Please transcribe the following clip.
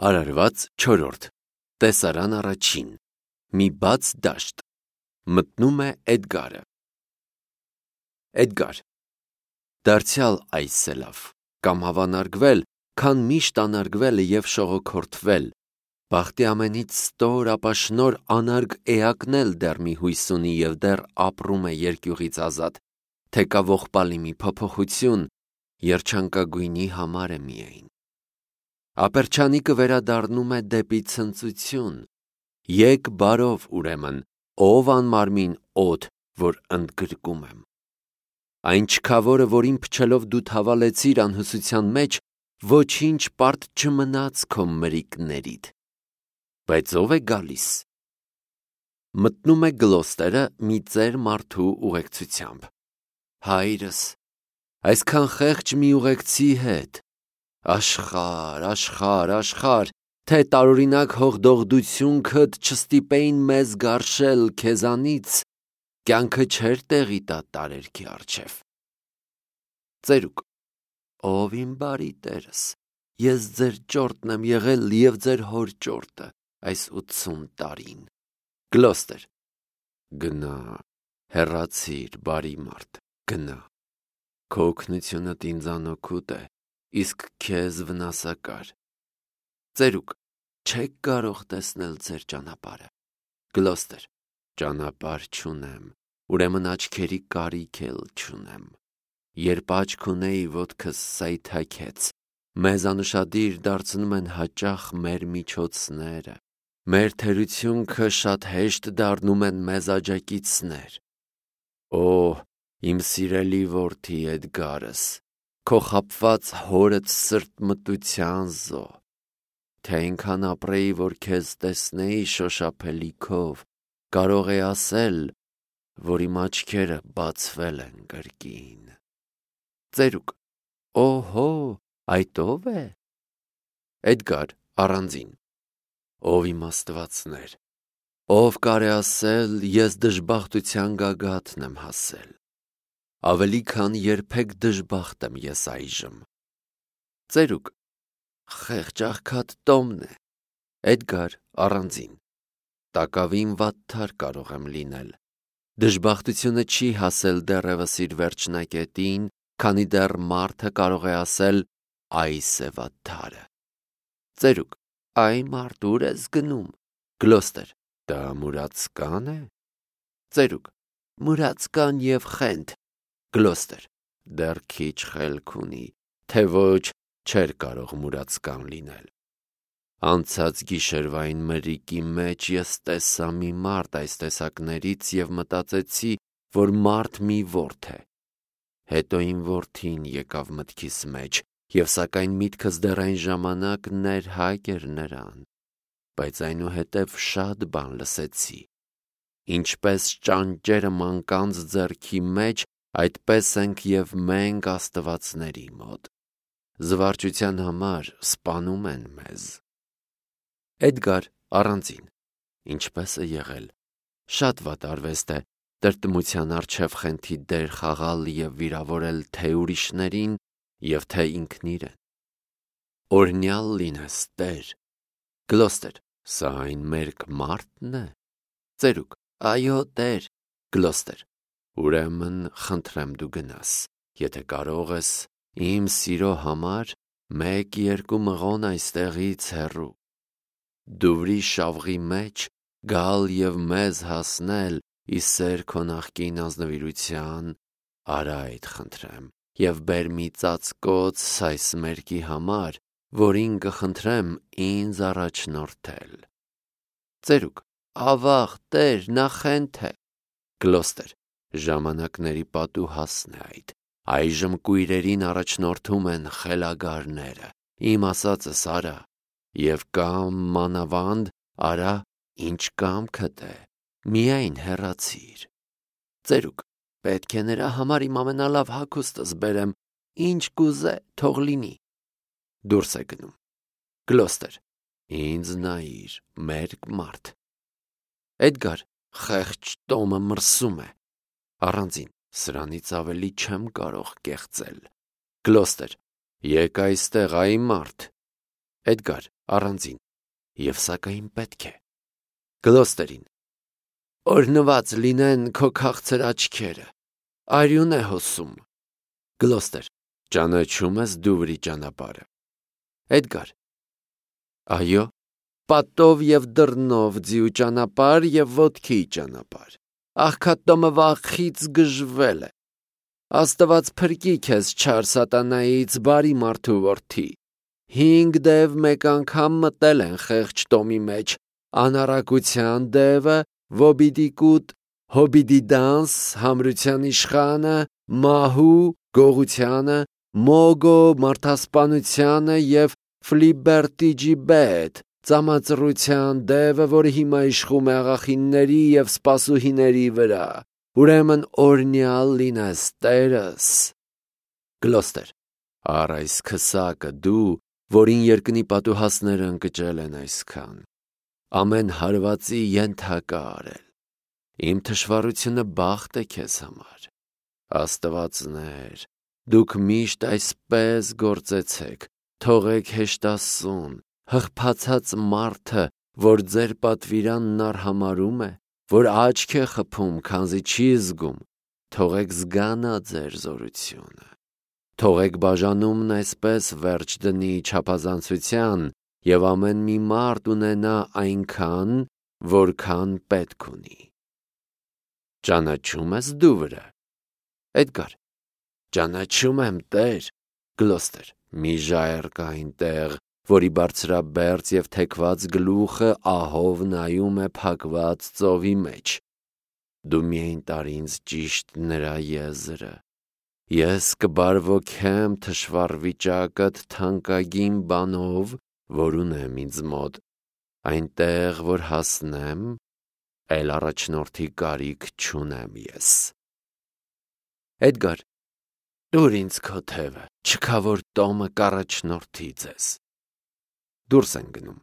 Արարված 4. Տեսարան առաջին. Մի բաց դաշտ. Մտնում է Էդգարը. Էդգար, դարձյալ այս է լավ, կամ հավանարգվել, քան միշտ անարգվելը և շողոքորթվել, բախտի ամենից ստոր ապաշնոր անարգ էակն էլ դեռ մի հույս ունի և դեռ ապրում է երկյուղից ազատ, թե կա ողբալի մի փոփոխություն, երջանկագույնի համար է միայն։ Ապերջանիկը վերադառնում է դեպի ցնծություն, եկ բարով ուրեմն, ով անմարմին օդ, որ ընդգրկում եմ։ Այն չքավորը, որին փչելով դու թավալեցիր անհուսության մեջ, ոչինչ պարտ չմնաց քո մրիկներիդ, բայց ով է գալիս։ Մտնում է Գլոստերը մի ծեր մարդու ուղեկցությամբ։ Հայրս, այսքան խեղճ մի ուղեկցի հետ, աշխարհ, աշխարհ, աշխարհ, թե տարօրինակ հողդողդությունքդ չստիպեին մեզ գարշել քեզանից, կյանքը չէր տեղի տա տարերքի առջև։ Ծերուկ, ով իմ բարի տերս, ես ձեր ճորտն եմ եղել և ձեր հոր ճորտը այս 80 տարին։ Գլոստեր, գնա, հեռացիր, բարի մարդ, գնա, քո օգնությունդ ինձանօգուտ է, իսկ քեզ վնասակար։ Ծերուկ, չեք կարող տեսնել ձեր ճանապարհը։ Գլոստեր, ճանապարհ չունեմ, ուրեմն աչքերի կարիք էլ չունեմ։ Երբ աչք ունեի, ոտքս սայթաքեց, մեզ անուշադիր դարձնում են հաճախ մեր միջոցները, մեր թերությունքը շատ հեշտ դառնում են մեզ աջակիցներ։ Օ, իմ սիրելի որդի Էդգարս, քո խաբված հորդ սրտմտության զո, թե այնքան ապրեի, որ քեզ տեսնեի շոշափելիքով, կարող է ասել, որ իմ աչքերը բացվել են կրկին։ Ծերուկ, օհո, այդ ով է։ Էդգար առանձին, ով իմ աստվածներ, ով կարե ասել, ես դժբախտության գագաթն եմ հասել, ավելի քան երբեք դժբախտ եմ ես այժմ։ Ծերուկ, խեղճ աղքատ Տոմն է։ Էդգար առանձին, տակավին վատթար կարող եմ լինել, դժբախտությունը չի հասել դեռևս իր վերջնակետին, քանի դեռ մարդը կարող է ասել այս է վատթարը։ Ծերուկ, այ մարդ ուր ես գնում։ Գլոստեր, դա մուրացկան է։ Ծերուկ, մուրացկան և խենթ։ Գլոստեր, դեռ քիչ խելք ունի, թե ոչ չէր կարող մուրացկան լինել։ Անցած գիշերվային մրրիկի մեջ ես տեսա մի մարդ այս տեսակներից և մտածեցի, որ մարդ մի որդ է։ Հետո իմ որդին եկավ մտքիս մեջ, և սակայն միտքս դեռ այն ժամանակ ներհակ էր նրան, բայց այնուհետև շատ բան լսեցի։ Ինչպես ճանճերը մանկանց ձեռքի մեջ, այդպես ենք և մենք աստվածների մոտ։ Զվարճության համար սպանում են մեզ։ Էդգար առանձին, ինչպես է եղել, շատ վատ արվեստ է տրտմության առջև խենթի դեր խաղալ և վիրավորել թե ուրիշներին և թե ինքն իրեն։ Օրհնյալ լինես, Տեր։ Գլոստեր, սա այն մերկ մարդն է։ Ծերուկ, այո, Տեր։ Գլոստեր, ուրեմն խնդրեմ դու գնաս, եթե կարող ես, իմ սիրո համար 1-2 մղոն այստեղից հեռու։ Դուվրի շավղի մեջ գալ և մեզ հասնել ի սեր քո նախկին ազնվիրության, արա այդ խնդրեմ, և բեր մի ծածկոց այս մերկի համար, որին կխնդրեմ ինձ առաջնորդել։ Ծերուկ, ավաղ, Տեր, նա խենթ է։ Գլոստեր, ժամանակների պատուհասն է այդ, այժմ կույրերին առաջնորդում են խելագարները, իմ ասածս արա, և կամ մանավանդ արա, ինչ կամքդ է, միայն հեռացիր։ Ծերուկ, պետք է նրա համար իմ ամենալավ հագուստս բերեմ, ինչ կուզե, թող լինի։ Դուրս է գնում։ Գլոստեր, ինձ նայիր, մերկ մարդ։ Էդգար, խեղճ Տոմը մրսում է։ Առանձին, սրանից ավելի չեմ կարող կեղծել։ Գլոստեր, եկ այստեղ, այ մարդ։ Էդգար առանձին. Եվ սակայն պետք է։ Գլոստերին. Օրհնված լինեն քո քաղցր աչքերը, արյուն է հոսում։ Գլոստեր. ճանաչում ես Դուվրի ճանապարհը։ Էդգար. այո, պատով և դռնով ձիու ճանապարհ և ոտքի ճանապարհ։ Աղքատոմը վախից գժվել է։ Աստված փրկի քեզ չար սատանայից, բարի մարդու որդի։ 5 դև մեկ անգամ մտել են խեղճ տոմի մեջ, անառակության դևը, Վոբիդիկուտ, Հոբիդիդանս, համրության իշխանը, Մահու, գողությանը, Մոգո, մարդասպանությանը և Ֆլիբերտիջիբետ, ծամածռության դևը, որը հիմա իշխում է աղախինների և սպասուհիների վրա։ Ուրեմն օրհնյալ լինես Տերս։ Գլոստեր. Առ այս քսակը դու, որին երկնի պատուհասները ընկճել են այսքան, ամեն հարվածի ենթակա արել։ Իմ թշվառությունը բախտ է քեզ համար։ Աստվածներ, դուք միշտ այսպես գործեցեք, թողեք հեշտասուն, հղփացած մարդը, որ ձեր պատվիրանն արհամարհում է, որ աչք է խփում, քանզի չի զգում, թողեք զգանա ձեր զորությունը։ Թողեք բաժանումն այսպես վերջ դնի չափազանցության, և ամեն մի մարդ ունենա այնքան, որքան պետք ունի։ Ճանաչում ես Դուվրը։ Էդգար. ճանաչում եմ, Տեր։ Գլոստեր. մի ժայռ կա այնտեղ, որի բարձրաբերձ և թեքված գլուխը ահով նայում է փակված ծովի մեջ։ Դու միայն տար ինձ ճիշտ նրա եզրը։ Ես կբարվոքեմ թշվառ վիճակդ թանկագին բանով, որ ունեմ ինձ մոտ, այնտեղ, որ հասնեմ, էլ առաջնորդի կարիք չունեմ ես։ Էդգար. տուր ինձ քո թևը, չքավոր տոմը կառաջնորդի ձեզ։ Դուրս են գնում։